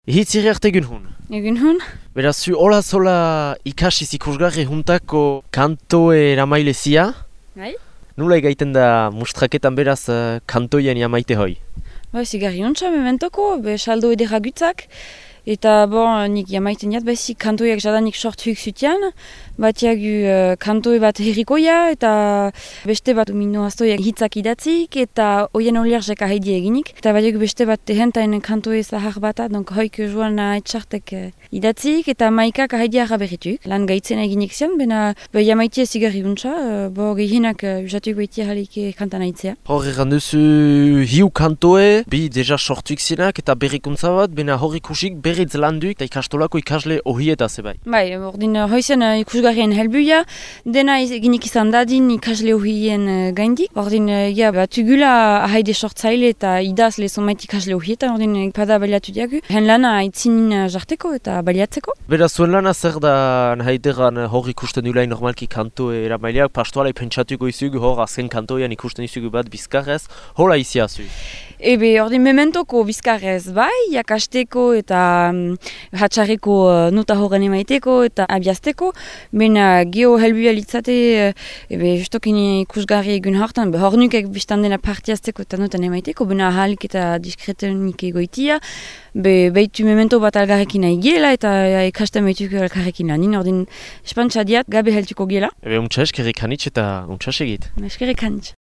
Hitziri arte egun hun. Egun hon? Beraz, zu hola zola ikasiz ikusgarri juntako kantoe eramailezia. Bai? Nula egaiten da mustraketan beraz kantoien jamaite hoi? Ba, zigarri ontsa mementoko, be saldo edera gutzak. Eta bon, nik jamaiten jat, bezik kantoiak jadanik sortuik zutian. Batiagu kantoe bat herrikoia eta beste bat umino astoiak hitzak idatzik eta oien oliarzek ahedi eginik. Eta batiagu beste bat tehentain kantoe zahar bata, donk hoik joan etxartek idatzik eta maikak ahedi berrituk. Lan gaitzen eginik zian, bena jamaitia zigarri untsa, bo gehienak usatuik baitia jalik kantan aitzea. Hor egan duzu hiu kantoe, bi deja sortuik zinak eta berrikuntza bat, bena hor ikusik berriz landuik eta ikastolako ikasle ohieta zebai. Bai, ordin hoizen ikusgarrien helbuia, dena eginik izan dadin ikasle ohien gaindik. Ordin, batugula ahaide sortzaile eta idazle zonbait ikasle ohieta, ordin pada baliatu diagu. Hen lana aitzinin jarteko eta baliatzeko. Beraz, zuen lana zer da nahaideran hor ikusten dulain normalki kantoe eramaileak, pastoalai pentsatuko izugu hor azken kantoian ikusten izugu bat bizkarrez, hola izia zui? Ebe, ordin mementoko bizkarrez bai, jakasteko eta hatxarreko nota horren emaiteko eta abiazteko, bena geho helbua litzate, justokin ikusgarri egun hartan, hor nukek biztan dena partiazteko eta notan emaiteko, bena ahalik eta diskretenik egoitia, behitu memento bat algarrekin nahi gela eta ikasten behituko algarrekin lanin, ordin espantsa diat gabe heltuko gela. Ebe, untsa eskerrik hanitz eta untsa segit. Eskerrik hanitz.